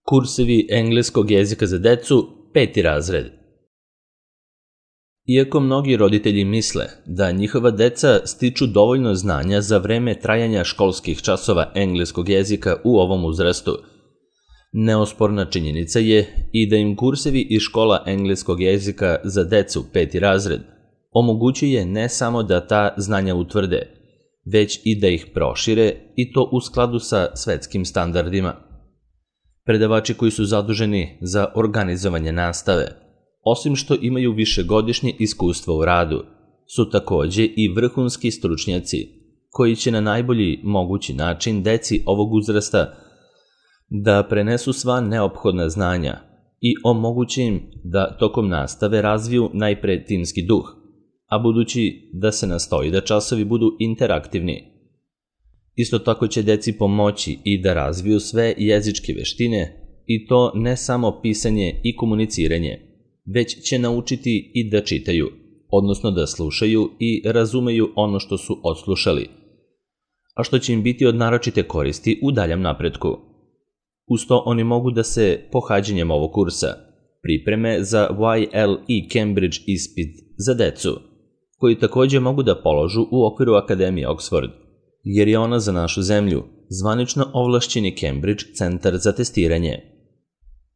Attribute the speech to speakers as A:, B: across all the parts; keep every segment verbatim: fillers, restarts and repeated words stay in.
A: Kursevi engleskog jezika za decu, peti razred. Iako mnogi roditelji misle da njihova deca stiču dovoljno znanja za vreme trajanja školskih časova engleskog jezika u ovom uzrastu, neosporna činjenica je i da im kursevi iz škola engleskog jezika za decu, peti razred, omogućuje ne samo da ta znanja utvrde, već i da ih prošire i to u skladu sa svetskim standardima. Predavači koji su zaduženi za organizovanje nastave, osim što imaju višegodišnje iskustvo u radu, su takođe i vrhunski stručnjaci koji će na najbolji mogući način deci ovog uzrasta da prenesu sva neophodna znanja i omoguće im da tokom nastave razviju najpre timski duh, a budući da se nastoji da časovi budu interaktivni. Isto tako će deci pomoći i da razviju sve jezičke veštine, i to ne samo pisanje i komuniciranje, već će naučiti i da čitaju, odnosno da slušaju i razumeju ono što su odslušali, a što će im biti od naročite koristi u daljem napretku. Uz to oni mogu da se pohađanjem ovog kursa pripreme za Y L E Cambridge ispit za decu, koji takođe mogu da položu u okviru Akademije Oxford, jer je ona za našu zemlju zvanično ovlašćeni Cambridge centar za testiranje.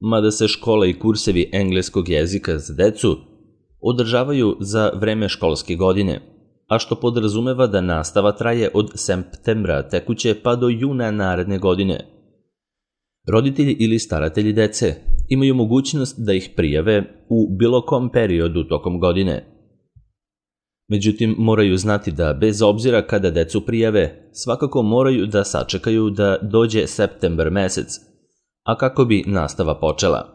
A: Mada se škola i kursevi engleskog jezika za decu održavaju za vreme školske godine, a što podrazumeva da nastava traje od septembra tekuće pa do juna naredne godine. Roditelji ili staratelji dece imaju mogućnost da ih prijave u bilo kom periodu tokom godine. Međutim, moraju znati da bez obzira kada decu prijave, svakako moraju da sačekaju da dođe septembar mesec, a kako bi nastava počela.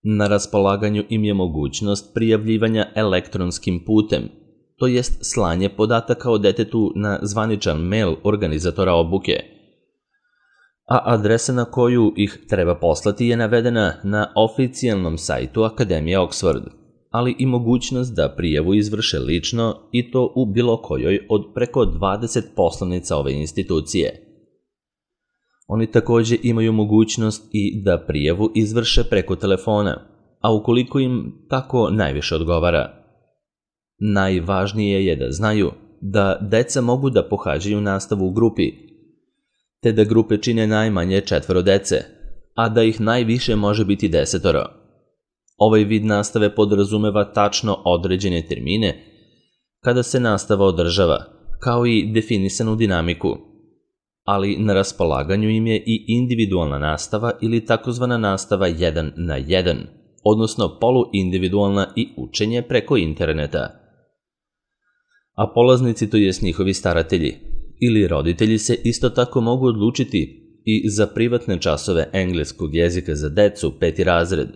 A: Na raspolaganju im je mogućnost prijavljivanja elektronskim putem, to jest slanje podataka o detetu na zvaničan mail organizatora obuke, a adresa na koju ih treba poslati je navedena na oficijalnom sajtu Akademije Oxford, ali i mogućnost da prijavu izvrše lično i to u bilo kojoj od preko dvadeset poslovnica ove institucije. Oni takođe imaju mogućnost i da prijavu izvrše preko telefona, a ukoliko im tako najviše odgovara. Najvažnije je da znaju da deca mogu da pohađaju nastavu u grupi, te da grupe čine najmanje četvoro dece, a da ih najviše može biti desetoro. Ovaj vid nastave podrazumeva tačno određene termine kada se nastava održava, kao i definisanu dinamiku, ali na raspolaganju im je i individualna nastava ili takozvana nastava jedan na jedan, odnosno poluindividualna i učenje preko interneta. A polaznici, to jest njihovi staratelji ili roditelji, se isto tako mogu odlučiti i za privatne časove engleskog jezika za decu, peti razred,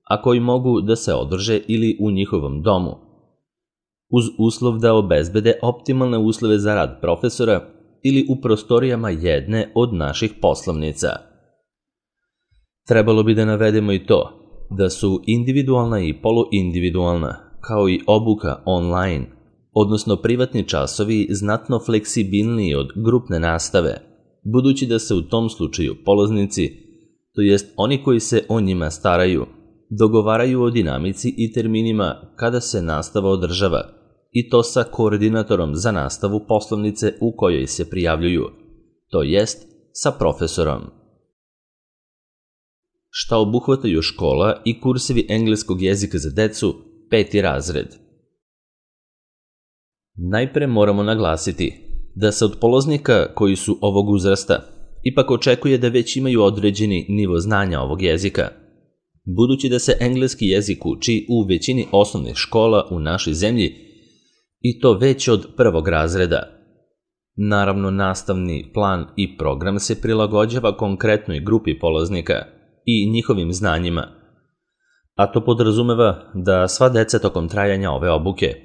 A: a koji mogu da se održe ili u njihovom domu, uz uslov da obezbede optimalne uslove za rad profesora ili u prostorijama jedne od naših poslovnica. Trebalo bi da navedemo i to da su individualna i poluindividualna, kao i obuka online, odnosno privatni časovi, znatno fleksibilniji od grupne nastave, budući da se u tom slučaju polaznici, to jest oni koji se o njima staraju, dogovaraju o dinamici i terminima kada se nastava održava, i to sa koordinatorom za nastavu poslovnice u kojoj se prijavljuju, to jest sa profesorom. Šta obuhvataju škola i kursevi engleskog jezika za decu, peti razred? Najpre moramo naglasiti da se od polaznika koji su ovog uzrasta ipak očekuje da već imaju određeni nivo znanja ovog jezika, budući da se engleski jezik uči u većini osnovnih škola u našoj zemlji, i to već od prvog razreda. Naravno, nastavni plan i program se prilagođava konkretnoj grupi polaznika i njihovim znanjima, a to podrazumeva da sva deca tokom trajanja ove obuke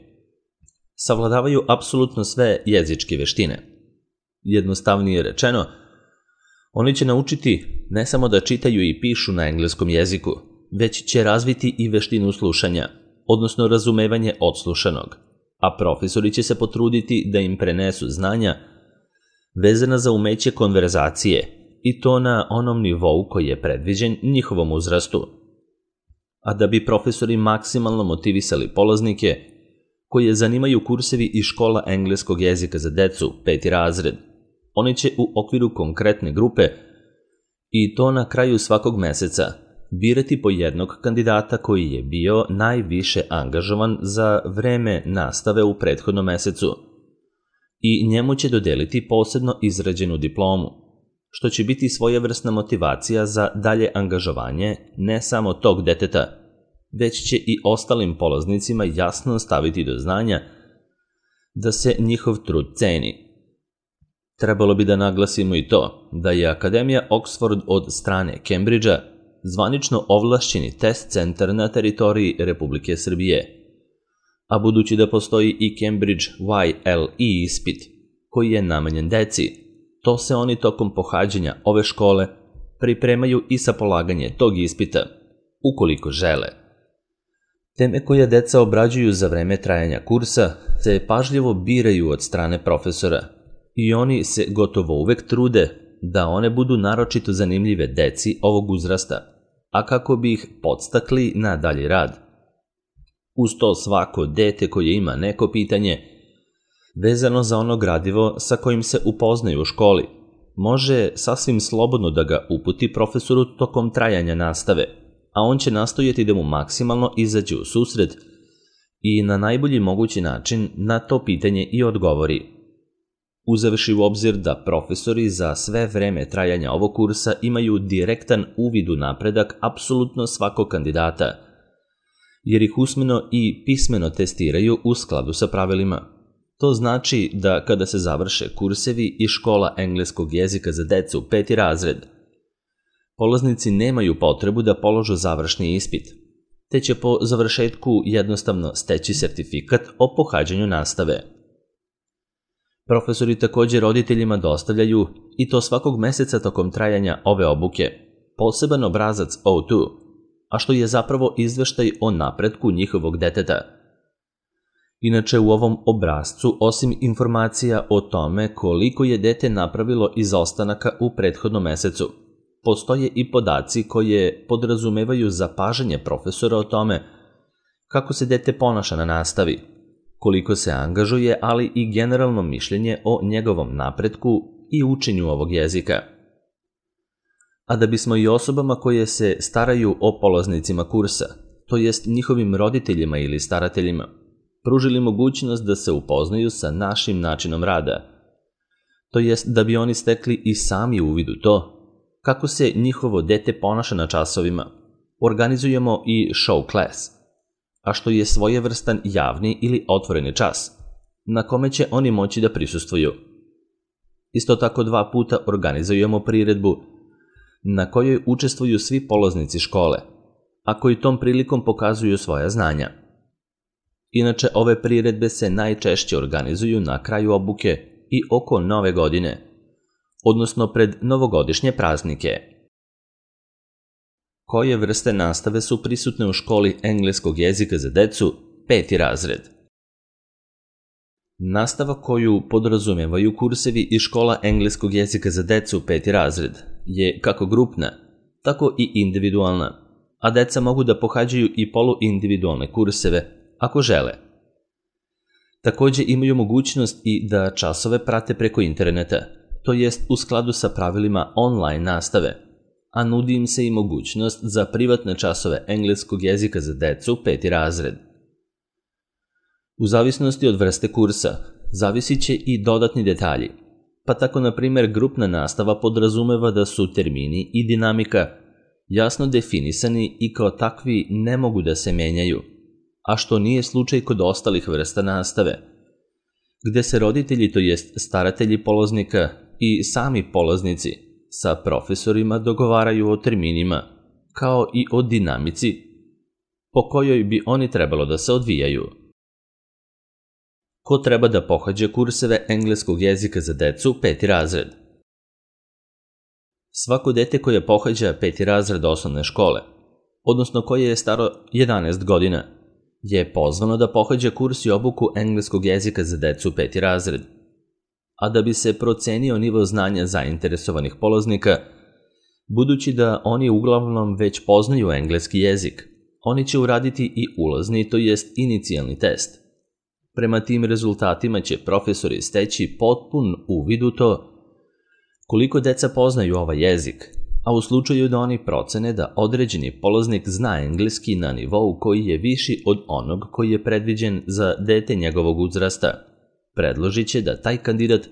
A: savladavaju apsolutno sve jezičke veštine. Jednostavnije rečeno, oni će naučiti ne samo da čitaju i pišu na engleskom jeziku, već će razviti i veštinu slušanja, odnosno razumevanje odslušanog, a profesori će se potruditi da im prenesu znanja vezana za umeće konverzacije i to na onom nivou koji je predviđen njihovom uzrastu. A da bi profesori maksimalno motivisali polaznike, koje zanimaju kursevi iz škola engleskog jezika za decu, peti razred, oni će u okviru konkretne grupe i to na kraju svakog meseca birati po jednog kandidata koji je bio najviše angažovan za vreme nastave u prethodnom mesecu i njemu će dodeliti posebno izrađenu diplomu, što će biti svojevrsna motivacija za dalje angažovanje ne samo tog deteta, već će i ostalim polaznicima jasno staviti do znanja da se njihov trud ceni. Trebalo bi da naglasimo i to da je Akademija Oxford od strane Cambridgea zvanično ovlašćeni test centar na teritoriji Republike Srbije, a budući da postoji i Cambridge Y L E ispit koji je namenjen deci, to se oni tokom pohađanja ove škole pripremaju i sa polaganje tog ispita, ukoliko žele. Teme koje deca obrađuju za vreme trajanja kursa se pažljivo biraju od strane profesora i oni se gotovo uvek trude da one budu naročito zanimljive deci ovog uzrasta, a kako bi ih podstakli na dalji rad. Uz to svako dete koje ima neko pitanje vezano za ono gradivo sa kojim se upoznaju u školi, može sasvim slobodno da ga uputi profesoru tokom trajanja nastave, a on će nastojati da mu maksimalno izađe u susret i na najbolji mogući način na to pitanje i odgovori. Uzevši u obzir da profesori za sve vreme trajanja ovog kursa imaju direktan uvid u napredak apsolutno svakog kandidata, jer ih usmeno i pismeno testiraju u skladu sa pravilima. To znači da kada se završe kursevi iz škola engleskog jezika za decu peti razred, polaznici nemaju potrebu da položu završni ispit, te će po završetku jednostavno steći sertifikat o pohađanju nastave. Profesori također roditeljima dostavljaju, i to svakog meseca tokom trajanja ove obuke, poseban obrazac O dva, a što je zapravo izveštaj o napretku njihovog deteta. Inače, u ovom obrascu, osim informacija o tome koliko je dete napravilo izostanaka u prethodnom mesecu, postoje i podaci koje podrazumevaju zapažanje profesora o tome kako se dete ponaša na nastavi, koliko se angažuje, ali i generalno mišljenje o njegovom napretku i učenju ovog jezika. A da bismo i osobama koje se staraju o polaznicima kursa, to jest njihovim roditeljima ili starateljima, pružili mogućnost da se upoznaju sa našim načinom rada, to jest da bi oni stekli i sami uvid u to kako se njihovo dete ponaša na časovima, organizujemo i show class, a što je svojevrstan javni ili otvoreni čas, na kome će oni moći da prisustvuju. Isto tako dva puta organizujemo priredbu na kojoj učestvuju svi polaznici škole, a koji tom prilikom pokazuju svoja znanja. Inače, ove priredbe se najčešće organizuju na kraju obuke i oko Nove godine, odnosno pred novogodišnje praznike. Koje vrste nastave su prisutne u školi engleskog jezika za decu, peti razred? Nastava koju podrazumevaju kursevi iz škola engleskog jezika za decu, peti razred, je kako grupna, tako i individualna, a deca mogu da pohađaju i poluindividualne kurseve, ako žele. Također imaju mogućnost i da časove prate preko interneta, to jest u skladu sa pravilima online nastave, a nudi im se i mogućnost za privatne časove engleskog jezika za decu, peti razred. U zavisnosti od vrste kursa, zavisit će i dodatni detalji, pa tako na primjer grupna nastava podrazumeva da su termini i dinamika jasno definisani i kao takvi ne mogu da se menjaju, a što nije slučaj kod ostalih vrsta nastave, gde se roditelji, to jest staratelji polaznika i sami polaznici sa profesorima dogovaraju o terminima, kao i o dinamici po kojoj bi oni trebalo da se odvijaju. Ko treba da pohađa kurseve engleskog jezika za decu, peti razred? Svako dete koje pohađa peti razred osnovne škole, odnosno koje je staro jedanaest godina, je pozvano da pohađa kurs i obuku engleskog jezika za decu peti razred. A da bi se procenio nivo znanja zainteresovanih polaznika, Budući da oni uglavnom već poznaju engleski jezik, oni će uraditi i ulazni, to jest inicijalni test. Prema tim rezultatima će profesori steći potpun uvid u to koliko deca poznaju ovaj jezik, a u slučaju da oni procene da određeni polaznik zna engleski na nivou koji je viši od onog koji je predviđen za dete njegovog uzrasta, predložit će da taj kandidat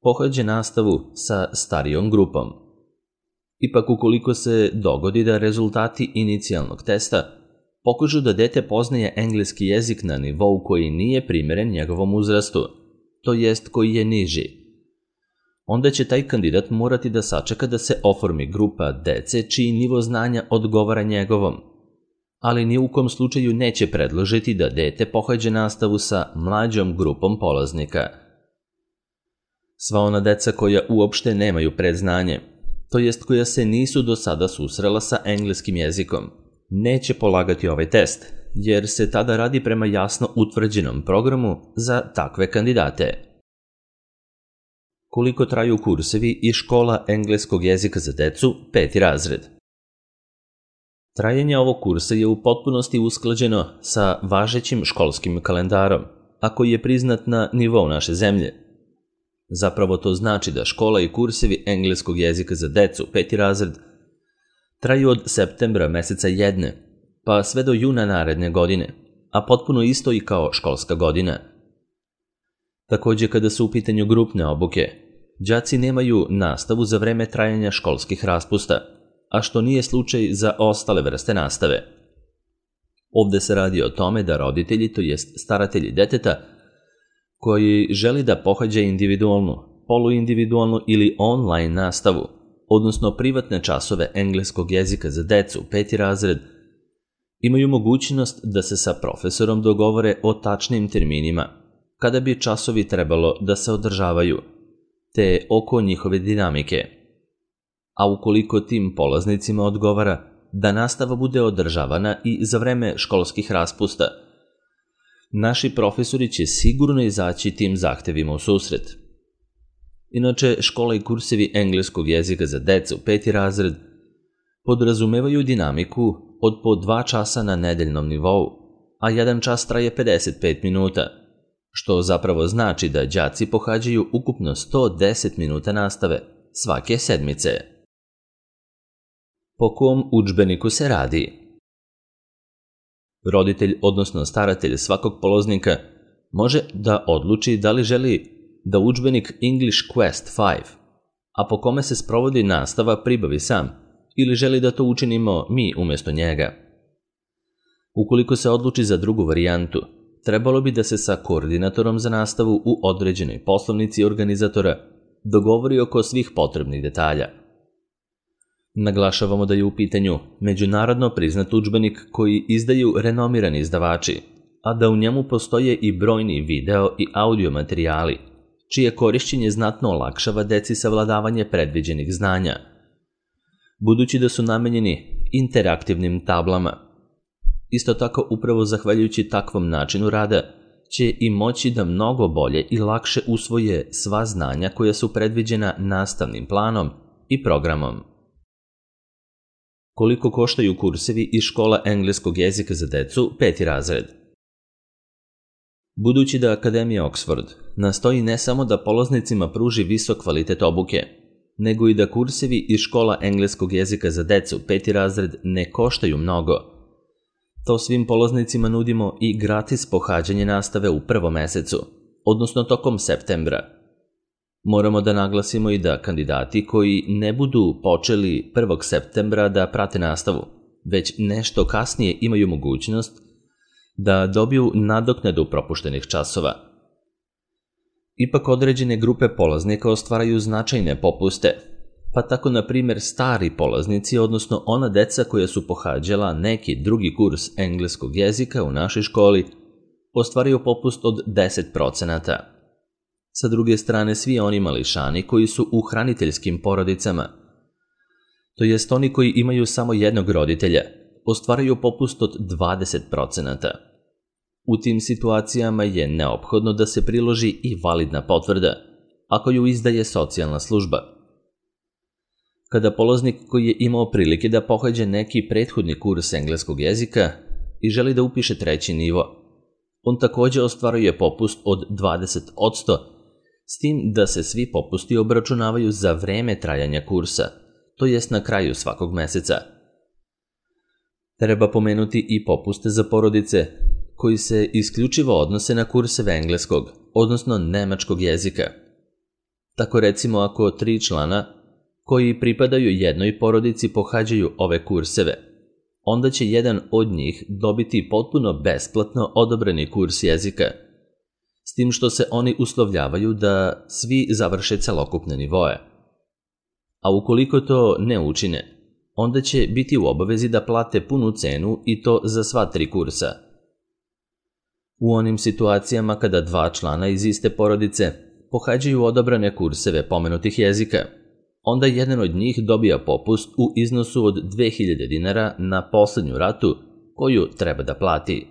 A: pohađa nastavu sa starijom grupom. Ipak ukoliko se dogodi da rezultati inicijalnog testa pokažu da dete poznaje engleski jezik na nivou koji nije primeren njegovom uzrastu, to jest koji je niži, onda će taj kandidat morati da sačeka da se oformi grupa dece čiji nivo znanja odgovara njegovom, ali ni u kom slučaju neće predložiti da dete pohađa nastavu sa mlađom grupom polaznika. Sva ona deca koja uopšte nemaju predznanje, to jest koja se nisu do sada susrela sa engleskim jezikom, neće polagati ovaj test, jer se tada radi prema jasno utvrđenom programu za takve kandidate. Koliko traju kursevi i škola engleskog jezika za decu, peti razred? Trajanje ovog kursa je u potpunosti usklađeno sa važećim školskim kalendarom, a koji je priznat na nivou naše zemlje. Zapravo to znači da škola i kursevi engleskog jezika za decu, peti razred, traju od septembra meseca jedne, pa sve do juna naredne godine, a potpuno isto i kao školska godina. Takođe, kada su u pitanju grupne obuke, đaci nemaju nastavu za vreme trajanja školskih raspusta, a što nije slučaj za ostale vrste nastave. Ovde se radi o tome da roditelji, to jest staratelji deteta, koji želi da pohađa individualnu, poluindividualnu ili online nastavu, odnosno privatne časove engleskog jezika za decu, peti razred, imaju mogućnost da se sa profesorom dogovore o tačnim terminima, kada bi časovi trebalo da se održavaju, te oko njihove dinamike. A ukoliko tim polaznicima odgovara da nastava bude održavana i za vreme školskih raspusta, naši profesori će sigurno izaći tim zahtevima u susret. Inače, škola i kursevi engleskog jezika za decu, peti razred, podrazumevaju dinamiku od po dva časa na nedeljnom nivou, a jedan čas traje pedeset pet minuta, što zapravo znači da đaci pohađaju ukupno sto deset minuta nastave svake sedmice. Po kom udžbeniku se radi? Roditelj, odnosno staratelj svakog polaznika, može da odluči da li želi da udžbenik English Quest pet, a po kome se sprovodi nastava, pribavi sam, ili želi da to učinimo mi umjesto njega. Ukoliko se odluči za drugu varijantu, trebalo bi da se sa koordinatorom za nastavu u određenoj poslovnici organizatora dogovori oko svih potrebnih detalja. Naglašavamo da je u pitanju međunarodno priznat udžbenik koji izdaju renomirani izdavači, a da u njemu postoje i brojni video i audio materijali, čije korišćenje znatno olakšava deci savladavanje predviđenih znanja, budući da su namenjeni interaktivnim tablama. Isto tako, upravo zahvaljujući takvom načinu rada, će i moći da mnogo bolje i lakše usvoje sva znanja koja su predviđena nastavnim planom i programom. Koliko koštaju kursevi i škola engleskog jezika za decu, peti razred? Budući da Akademija Oxford nastoji ne samo da polaznicima pruži visok kvalitet obuke, nego i da kursevi i škola engleskog jezika za decu, peti razred, ne koštaju mnogo, to svim polaznicima nudimo i gratis pohađanje nastave u prvom mesecu, odnosno tokom septembra. Moramo da naglasimo i da kandidati koji ne budu počeli prvog septembra da prate nastavu, već nešto kasnije imaju mogućnost da dobiju nadoknadu propuštenih časova. Ipak određene grupe polaznika ostvaraju značajne popuste, pa tako na primjer stari polaznici, odnosno ona deca koja su pohađala neki drugi kurs engleskog jezika u našoj školi, ostvaraju popust od deset procenata. Sa druge strane, svi oni mališani koji su u hraniteljskim porodicama, to jest oni koji imaju samo jednog roditelja, ostvaraju popust od dvadeset procenata. U tim situacijama je neophodno da se priloži i validna potvrda, ako ju izdaje socijalna služba. Kada polaznik koji je imao prilike da pohađa neki prethodni kurs engleskog jezika i želi da upiše treći nivo, on takođe ostvaruje popust od dvadeset posto, s tim da se svi popusti obračunavaju za vreme trajanja kursa, to jest na kraju svakog meseca. Treba pomenuti i popuste za porodice, koji se isključivo odnose na kurseve engleskog, odnosno nemačkog jezika. Tako recimo ako tri člana koji pripadaju jednoj porodici pohađaju ove kurseve, onda će jedan od njih dobiti potpuno besplatno odobreni kurs jezika, s tim što se oni uslovljavaju da svi završe celokupne nivoe. A ukoliko to ne učine, onda će biti u obavezi da plate punu cenu i to za sva tri kursa. U onim situacijama kada dva člana iz iste porodice pohađaju odabrane kurseve pomenutih jezika, onda jedan od njih dobija popust u iznosu od dve hiljade dinara na poslednju ratu koju treba da plati.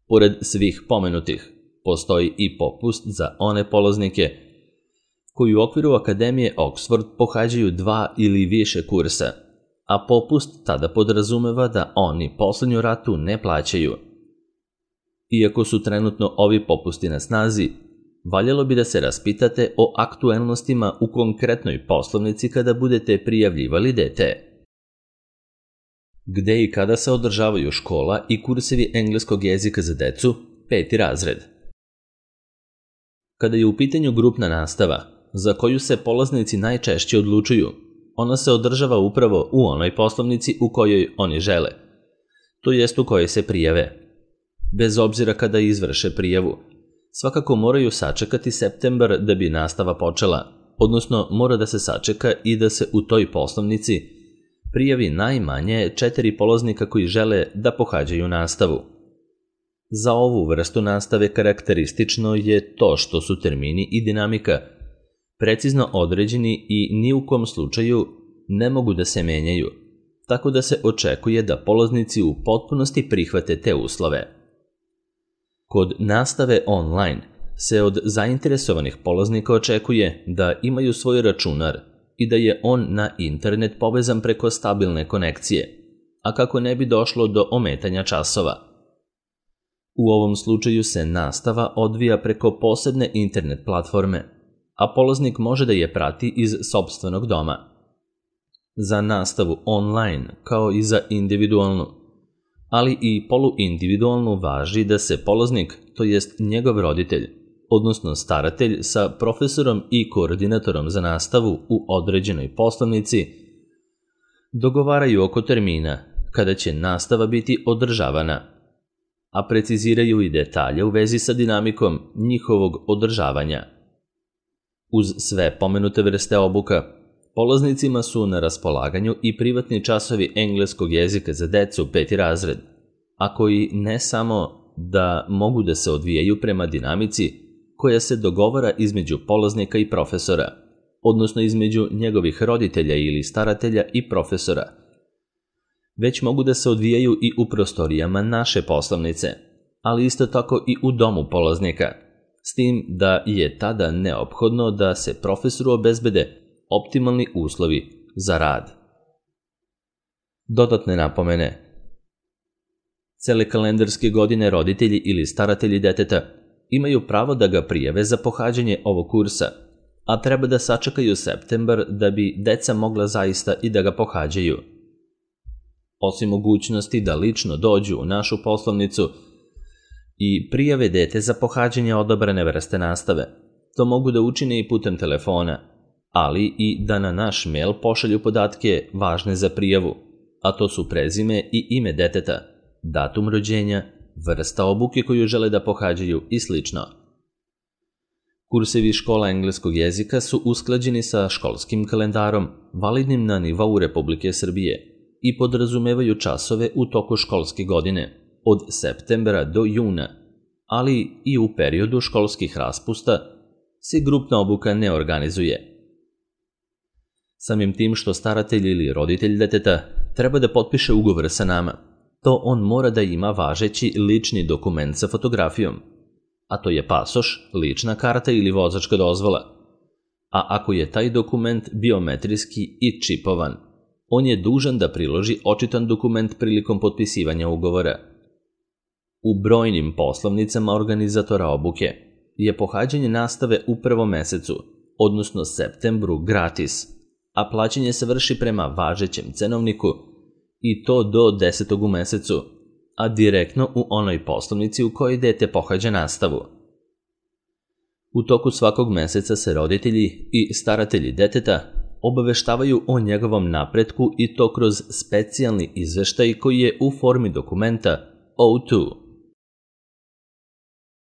A: Pored svih pomenutih, postoji i popust za one polaznike koji u okviru Akademije Oxford pohađaju dva ili više kursa, a popust tada podrazumeva da oni poslednju ratu ne plaćaju. Iako su trenutno ovi popusti na snazi, valjalo bi da se raspitate o aktuelnostima u konkretnoj poslovnici kada budete prijavljivali dete. Gde i kada se održavaju škola i kursevi engleskog jezika za decu, peti razred? Kada je u pitanju grupna nastava, za koju se polaznici najčešće odlučuju, ona se održava upravo u onoj poslovnici u kojoj oni žele, to jest u kojoj se prijave. Bez obzira kada izvrše prijavu, svakako moraju sačekati septembar da bi nastava počela, odnosno mora da se sačeka i da se u toj poslovnici prijavi najmanje četiri polaznika koji žele da pohađaju nastavu. Za ovu vrstu nastave karakteristično je to što su termini i dinamika precizno određeni i ni u kom slučaju ne mogu da se menjaju, tako da se očekuje da polaznici u potpunosti prihvate te uslove. Kod nastave online se od zainteresovanih polaznika očekuje da imaju svoj računar i da je on na internet povezan preko stabilne konekcije, a kako ne bi došlo do ometanja časova. U ovom slučaju se nastava odvija preko posebne internet platforme, a polaznik može da je prati iz sopstvenog doma. Za nastavu online, kao i za individualnu, ali i poluindividualnu važi da se polaznik, to jest njegov roditelj, odnosno staratelj sa profesorom i koordinatorom za nastavu u određenoj poslovnici, dogovaraju oko termina kada će nastava biti održavana, a preciziraju i detalje u vezi sa dinamikom njihovog održavanja. Uz sve pomenute vrste obuka, polaznicima su na raspolaganju i privatni časovi engleskog jezika za decu peti razred, a koji ne samo da mogu da se odvijaju prema dinamici koja se dogovara između polaznika i profesora, odnosno između njegovih roditelja ili staratelja i profesora, već mogu da se odvijaju i u prostorijama naše poslovnice, ali isto tako i u domu polaznika, s tim da je tada neophodno da se profesoru obezbede optimalni uslovi za rad. Dodatne napomene. Cele kalendarske godine roditelji ili staratelji deteta imaju pravo da ga prijave za pohađanje ovog kursa, a treba da sačekaju septembar da bi deca mogla zaista i da ga pohađaju. Osim mogućnosti da lično dođu u našu poslovnicu i prijave dete za pohađanje odabrane vrste nastave, to mogu da učine i putem telefona, ali i da na naš mail pošalju podatke važne za prijavu, a to su prezime i ime deteta, datum rođenja, vrsta obuke koju žele da pohađaju i slično. Kursevi škola engleskog jezika su usklađeni sa školskim kalendarom, validnim na nivou Republike Srbije, i podrazumevaju časove u toku školske godine, od septembra do juna, ali i u periodu školskih raspusta se grupna obuka ne organizuje. Samim tim što staratelj ili roditelj deteta treba da potpiše ugovor sa nama, to on mora da ima važeći lični dokument sa fotografijom, a to je pasoš, lična karta ili vozačka dozvola, a ako je taj dokument biometrijski i čipovan, on je dužan da priloži očitan dokument prilikom potpisivanja ugovora. U brojnim poslovnicama organizatora obuke je pohađanje nastave u prvom mesecu, odnosno septembru, gratis, a plaćanje se vrši prema važećem cenovniku i to do desetog u mesecu, a direktno u onoj poslovnici u kojoj dete pohađa nastavu. U toku svakog meseca se roditelji i staratelji deteta obaveštavaju o njegovom napretku i to kroz specijalni izveštaj koji je u formi dokumenta O dva.